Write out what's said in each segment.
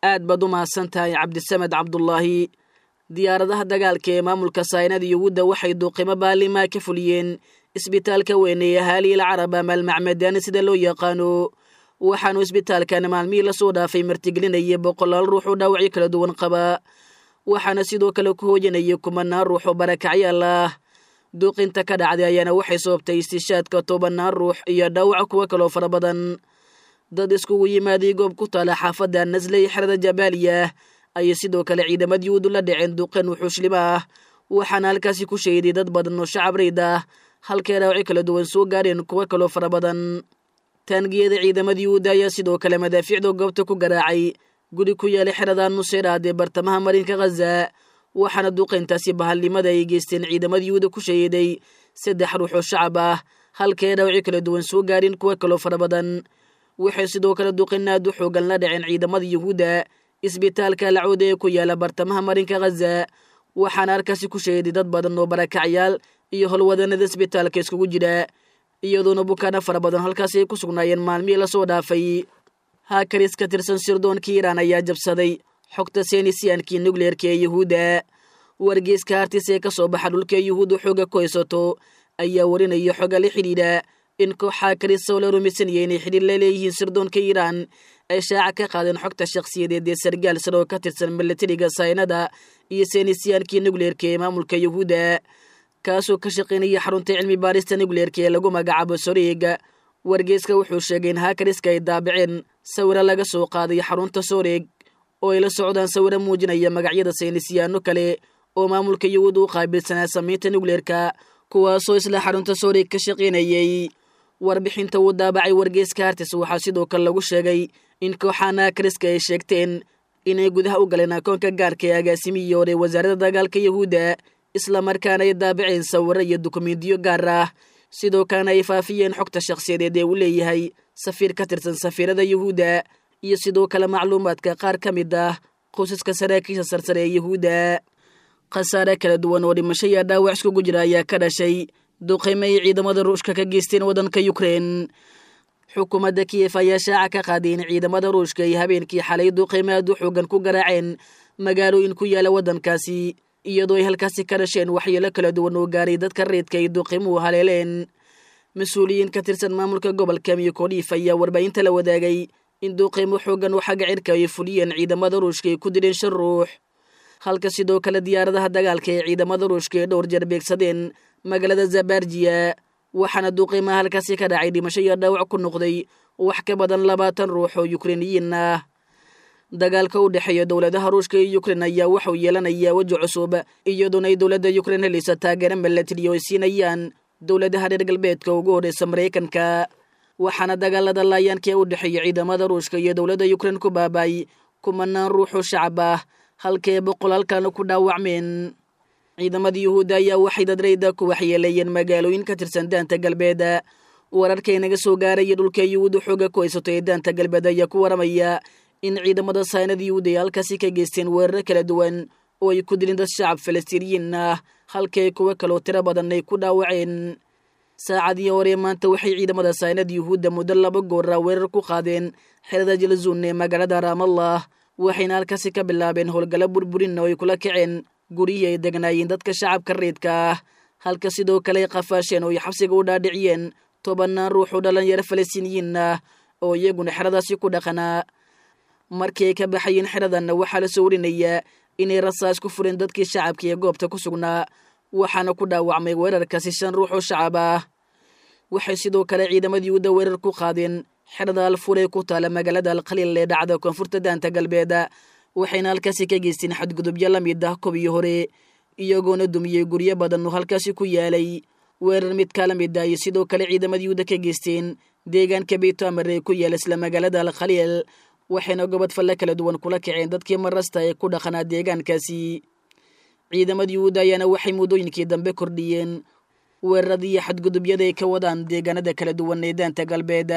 Aad baad u mahadsan tahay Cabdisamed Cabdulaahi. Diyaaradaha dagaalka ee maamulka saynada Yuhuudda waxay duuqimo baalimaa ka fuliyeen isbitaalka weyn ee Ahaaliil Carab ama Almacmadaani sida loo yaqaano. Waxaanu isbitaalkan maalmihii lasoo dhaafay martigelinaya boqolaal ruux oo dhaawacyo kala duwan qaba, waxaana sidoo kale ku hooyanaya kumanaan ruux oo barakacyaal ah. Duuqinta ka dhacday ayaana waxay sababtay istishaadka 10 ruux iyo dhaawaca kuwo kaloo fara badan. Dad iskugu yimaaday goob ku taala xaafadda Nasley xerada Jabaaliya ayay sidoo kale ciidamada Yuhuudu la dhaceen duqeen wuxuushlimo ah, waxaana halkaasi ku sheeday dad badan oo shacab reyd ah, halkay dhaawacyo kala duwan soo gaareen kuwo kaloo fara badan. Taangiyada ciidamada Yuhuudda ayaa sidoo kale madaafiicda goobta ku garaacay guri ku yaala xerada Nuseyraad ee bartamaha marinka Khaza, waxaana duqeyntaasi bahalnimada ay geysteen ciidamada Yuhuudda ku shahiiday saddex ruux oo shacab ah, halkay dhaawacyo kala duwan soo gaareen kuwo kaloo fara badan. Waxay sidoo kale duqeyn aad u xoogan la dhaceen ciidamada Yuhuudda isbitaalka Alcawda ee ku yaala bartamaha marinka Khaza, waxaana halkaasi ku shahiiday dad badan oo barakacyaal iyo howlwadanada isbitaalka iskugu jira, iyadoona bukaana fara badan halkaasi ay ku sugnaayeen maalmihii lasoo dhaafay. Haakaris ka tirsan sirdoonka Iiraan ayaa jabsaday xogta seenisiyaankii nukleerka ee Yuhuudda. Wargeyska Hartis ee ka soo baxa dhulka Yuhuudda xooga ku haysato ayaa warinaya xoga la xidhiidha in koox haakaris oo la rumaysanaya inay xidhiir la leeyihiin sirdoonka Iiraan ay shaaca ka qaadeen xogta shakhsiyadeed ee sargaal sare oo ka tirsan milatariga saynada iyo seenisiyaankii nukleerka ee maamulka Yuhuudda, kaasoo ka shaqaynaya xarunta cilmi baarista nukleerka ee lagu magacaabo Soreega. Wargeyska wuxuu sheegay in haakariska ay daabaceen sawiro laga soo qaaday xarunta Soreeg oo ay la socdaan sawiro muujinaya magacyada saynisyaano kale oo maamulka Yuhuud u qaabilsanaa samaynta nukleerka, kuwaasoo isla xarunta Soreeg ka shaqaynayay. Warbixinta uu daabacay wargeyska Hartis waxaa sidoo kale lagu sheegay in kooxaan haakariska ay sheegteen inay gudaha u galeen akoonka gaarka ee agaasimihii hore wasaaradda dagaalka Yuhuudda, islamarkaana ay daabaceen sawiro iyo dukumiintiyo gaar ah, sidoo kalena ay faafiyeen xogta shakhsiyadeed ee uu leeyahay safiir ka tirsan safiirada Yuhuudda iyo sidoo kale macluumaadka qaar ka mid ah qoysaska saraakiisha sarsare ee Yuhuudda. Khasaare kala duwan oo dhimasho iyo dhaawac iskugu jira ayaa ka dhashay duqeymo ay ciidamada Ruushka ka geysteen waddanka Yukrein. Xukuumadda Kiyef ayaa shaaca ka qaaday in ciidamada Ruushka ay habeenkii xalay duqeymo aad u xoogan ku garaaceen magaalooyin ku yaala waddankaasi, iyadoo ay halkaasi ka dhasheen waxyeelo kala duwan oo gaaray dadka reedka ay duqeymuhu haleeleen. Mas-uuliyiin ka tirsan maamulka gobolka Miyokodiif ayaa warbaahinta la wadaagay in duqeymo xoogan oo xagga cirka ay fuliyeen ciidamada Ruushka ay ku dileen shan ruux, halka sidoo kale diyaaradaha dagaalka ee ciidamada Ruushka ay dhowr jeer beegsadeen magaalada Zabarjiya, waxaana duqeymaha halkaasi ka dhacay dhimasho iyo dhaawac ku noqday wax ka badan 20 ruux oo Yukreiniyiin ah. Dagaalka u dhexeeya dowladaha Ruushka iyo Yukrein ayaa waxuu yeelanayaa weji cusub, iyadoona ay dowladda Yukrein helaysa taageero milatari oo ay siinayaan dowladaha reer galbeedka ugu horreysa Maraykanka, waxaana dagaalada laayaanka ee u dhexeeya ciidamada Ruushka iyo dowladda Yukrein ku baaba'ay kumanaan ruux oo shacab ah, halkee boqolaalkana ku dhaawacmeen. Ciidamada Yuhuudda ayaa waxay dadrayda ku waxyeeleeyeen magaalooyin ka tirsan daanta galbeed. Wararkay naga soo gaaraya dhulka Yuhuudda xooga ku haysato ee daanta galbeed ayaa ku waramaya in ciidamada saynada Yuhuudda ay halkaasi ka geysteen weeraro kala duwan oo ay ku dilin dad shacab Falastiiniyiin ah, halkay kuwo kaloo tiro badan ay ku dhaawaceen. Saacadii hore maanta waxay ciidamada saynada Yuhuudda muddo laba goora weerar ku qaadeen xerada Jalzuun ee magaalada Raamallah, waxayna halkaasi ka bilaabeen howlgallo burburin oo ay kula kaceen guryihii ay degnaayeen dadka shacabka reedka ah, halka sidoo kale ay qafaasheen oo ay xabsiga u dhaadhiciyeen 10 ruux oo dhalinyaro Falastiiniyiin ah oo iyaguna xeradaasi ku dhaqanaa. Markii ay ka baxayeen xeradanna waxaa la soo warinayaa inay rasaas ku fureen dadkii shacabka ee goobta ku sugnaa, waxaana ku dhaawacmay weerarkaasi shan ruux oo shacab ah. Waxay sidoo kale ciidamada Yuhuudda weerar ku qaadeen xerada Alfuur ee ku taala magaalada Alkhaliil ee dhacda koonfurta daanta galbeed, waxayna halkaasi ka geysteen xadgudubyo la mid ah kuwii hore, iyagoona dumiyey guryo badan oo halkaasi ku yaalay. Weerar mid kala mid ah ayay sidoo kale ciidamada Yuhuudda ka geysteen deegaanka Beytamar ee ku yaala isla magaalada Alkhaliil, waxayna gobod falle kala duwan kula kaceen dadkii marasta ee ku dhaqanaa deegaankaasi. Ciidamada Yuhuudda ayaana waxay muddooyinkii dambe kordhiyeen weeraradii iyo xadgudubyada ay ka wadaan deegaanada kala duwan ee daanta galbeed.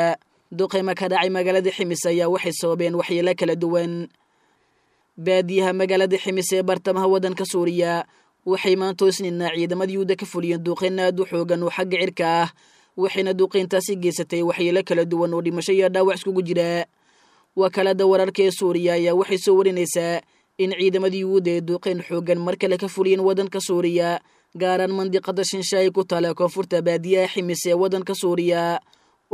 Duqeymo ka dhacay magaalada Ximis ayaa waxay sababeen waxyeelo kala duwan. Baadiyaha magaalada Ximis ee bartamaha waddanka Suuriya waxay maanta Isniina ciidamada Yuhuudda ka fuliyeen duqeyn aad u xoogan oo xagga cirka ah, waxayna duqeyntaasi geysatay waxyeelo kala duwan oo dhimasho iyo dhaawac iskugu jira. Wakaalada wararka ee Suuriya ayaa waxay soo warinaysaa in ciidamada Yuhuudda ay duuqeen xooggan mar kale ka fuliyeen waddanka Suuriya, gaaraan mandiqada Shinshaay ku taala koonfurta baadiyaha Ximis ee waddanka Suuriya.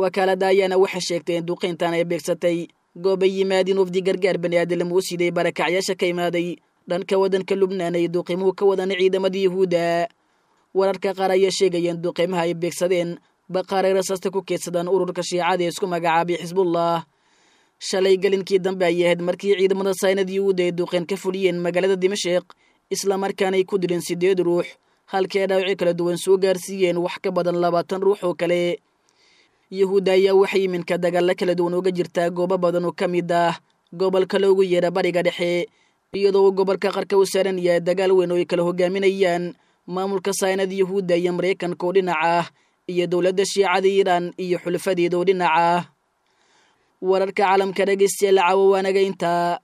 Wakaalada ayaana waxay sheegtay in duuqeyntan ay beegsatay goobay yimaadeen wafdi gargaar baniaadam uu siday barakacyaasha ka imaaday dhanka waddanka Lubnaan ay duuqimuhu ka wadaan ciidamada Yuhuudda. Wararka qaar ayaa sheegayeen duuqimaha ay beegsadeen baqaaray rasaasta ku keedsadaan ururka Shiicada ee isku magacaabay Xisbullah. Shalay gelinkii dambe ayay ahayd markii ciidamada saynad Yuhuudda ay duuqeen ka fuliyeen magaalada Dimashik, islamarkaanay ku dileen 8 ruux, halkii ay dhaawacyo kala duwan soo gaarsiiyeen wax ka badan 20 ruux oo kale. Yuhuudda ayaa waxay iminka dagaalla kala duwan uga jirtaa goobo badan oo ka mid ah gobolka loogu yeera Bariga Dhexe, iyadoo uu gobolka qarka u saaran yahay dagaal weyn oo ay kala hogaaminayaan maamulka saynad Yuhuudda iyo Maraykanka oo dhinaca ah, iyo dowladda Shiicada Iiraan iyo xulafadeeda oo dhinaca ah. Wararka caalamka dhegeystayaal caawa waanaga intaa.